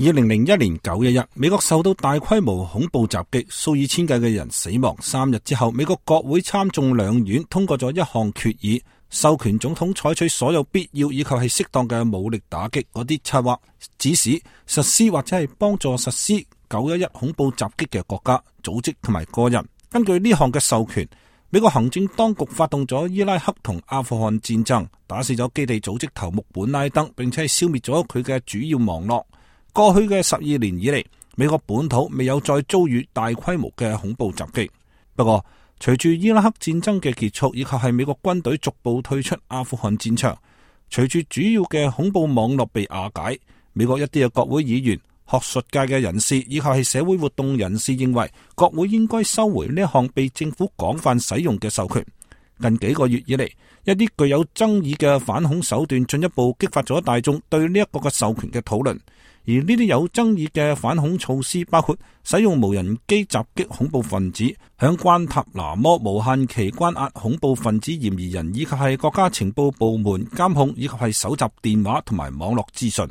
2001年9月1日，美國受到大規模恐怖襲擊，數以千計嘅人死亡。3日之後，美國國會參眾兩院通過咗一項決議，授權總統採取所有必要以及係適當嘅武力打擊嗰啲策劃、指使、實施或者係幫助實施911恐怖襲擊嘅國家、組織同埋個人。根據呢項嘅授權，美國行政當局發動咗伊拉克同阿富汗戰爭，打死咗基地組織頭目本拉登，並且係消滅咗佢嘅主要網絡。過去嘅12年以嚟，美國本土未有再遭遇大規模嘅恐怖襲擊。不過，隨住伊拉克戰爭嘅結束，以及係美國軍隊逐步退出阿富汗戰場，隨住主要嘅恐怖網絡被瓦解，美國一啲嘅國會議員、學術界嘅人士以及係社會活動人士認為，國會應該收回呢一項被政府廣泛使用嘅授權。近幾個月以嚟，一啲具有爭議嘅反恐手段進一步激發咗大眾對呢一個嘅授權嘅討論。而呢啲有爭議嘅反恐措施包括使用無人機襲擊恐怖分子、響關塔那摩無限期關押恐怖分子嫌疑人，以及係國家情報部門監控以及係搜集電話同埋網絡資訊。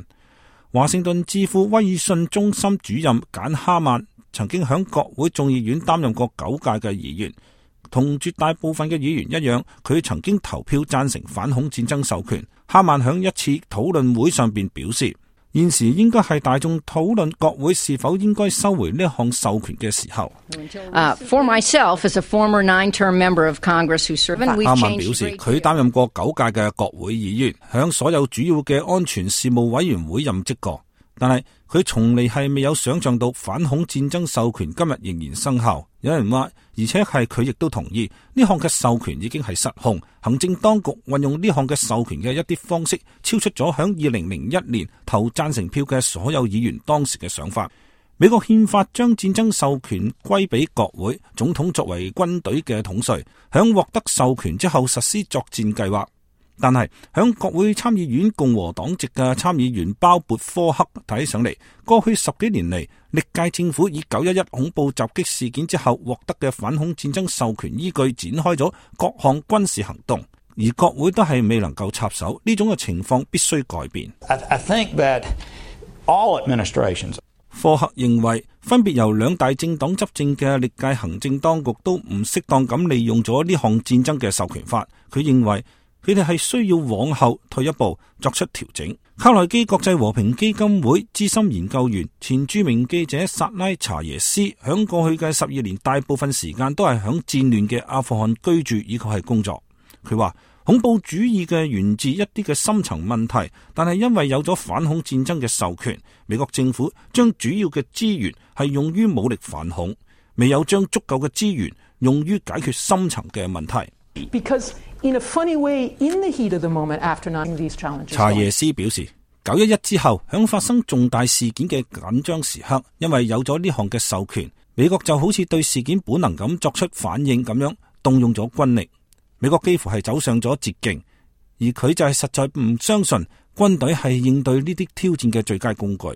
華盛頓智庫威爾遜中心主任簡哈曼曾經響國會眾議院擔任過9屆嘅議員，同絕大部分嘅議員一樣，佢曾經投票贊成反恐戰爭授權。哈曼響一次討論會上邊表示，現時應該係大眾討論國會是否應該收回呢項授權嘅時候。For myself, as a former 9-term member of Congress who served, 哈曼表示，佢擔任過9屆嘅國會議員，響所有主要嘅安全事務委員會任職過，但係佢從嚟係未有想象到反恐戰爭授權今日仍然生效。有人話，而且係佢亦都同意呢項嘅授權已經係失控，行政當局運用呢項嘅授權嘅一啲方式，超出咗響2001年投贊成票嘅所有議員當時嘅想法。美國憲法將戰爭授權歸俾國會，總統作為軍隊嘅統帥，響獲得授權之後實施作戰計劃。但係響國會參議院共和黨籍嘅參議員鮑勃科克睇上嚟，過去10幾年嚟，歷屆政府以911恐怖襲擊事件之後獲得嘅反恐戰爭授權依據展開咗各項軍事行動，而國會都係未能夠插手，呢種嘅情況必須改變。I think that all administrations... 科克認為，分別由2大政黨執政嘅歷屆行政當局都唔適當咁利用咗呢項戰爭嘅授權法。佢認為佢哋係需要往後退一步作出調整。卡內基國際和平基金會資深研究員、前著名記者薩拉查耶斯響過去嘅12年大部分時間都係響戰亂嘅阿富汗居住以及係工作。佢話恐怖主義嘅源自一啲嘅深層問題，但係因為有咗反恐戰爭嘅授權，美國政府將主要嘅資源係用於武力反恐，未有將足夠嘅資源用於解決深層嘅問題。In a funny way, in the heat of the moment after not these challenges. 查耶斯表示，911之後響發生重大事件嘅緊張時刻，因為有咗呢項嘅授權，美國就好似對事件本能咁作出反應咁樣，動用咗軍力。美國幾乎係走上咗捷徑，而佢就係實在唔相信軍隊係應對呢啲挑戰嘅最佳工具。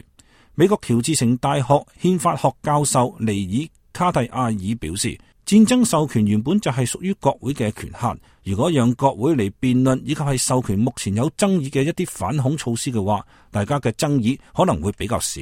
美國喬治城大學憲法學教授尼爾卡蒂亞爾表示，戰爭授權原本就係屬於國會嘅權限，如果讓國會嚟辯論以及係授權目前有爭議嘅一啲反恐措施嘅話，大家嘅爭議可能會比較少。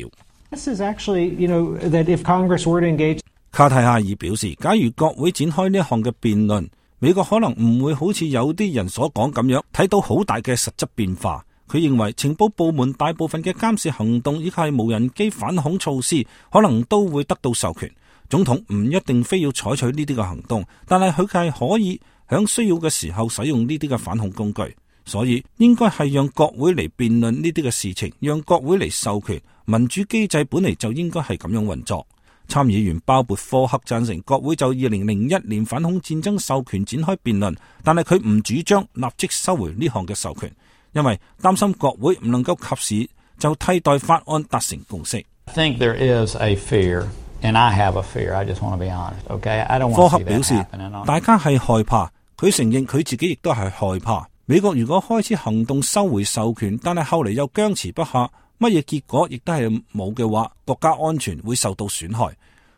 卡蒂亞爾表示，假如國會展開呢一項嘅辯論，美國可能唔會好似有啲人所講咁樣睇到好大嘅實質變化。佢認為情報部門大部分嘅監視行動以及係無人機反恐措施可能都會得到授權。總統唔一定非要採取呢啲嘅行動，但係佢係可以響需要嘅時候使用呢啲嘅反恐工具。所以應該係讓國會嚟辯論呢啲嘅事情，讓國會嚟授權。民主機制本嚟就應該係咁樣運作。參議員鮑勃科克贊成國會就2001年反恐戰爭授權展開辯論，但係佢唔主張立即收回呢項嘅授權，因為擔心國會唔能夠及時就替代法案達成共識。I think there is a fear, and I have a fear. I just want to be honest, okay? I don't want to see that happen. 科克表示，大家係害怕，佢承認佢自己亦都係害怕。美國如果開始行動收回授權，但係後嚟又僵持不下，乜嘢結果亦都係冇嘅話，國家安全會受到損害。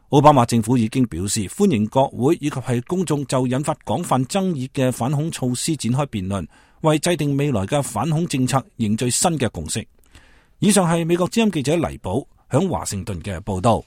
奧巴馬政府已經表示歡迎國會以及係公眾就引發廣泛爭議嘅反恐措施展開辯論，為制定未來嘅反恐政策凝聚新嘅共識。以上係美國之音記者黎寶響華盛頓嘅報道。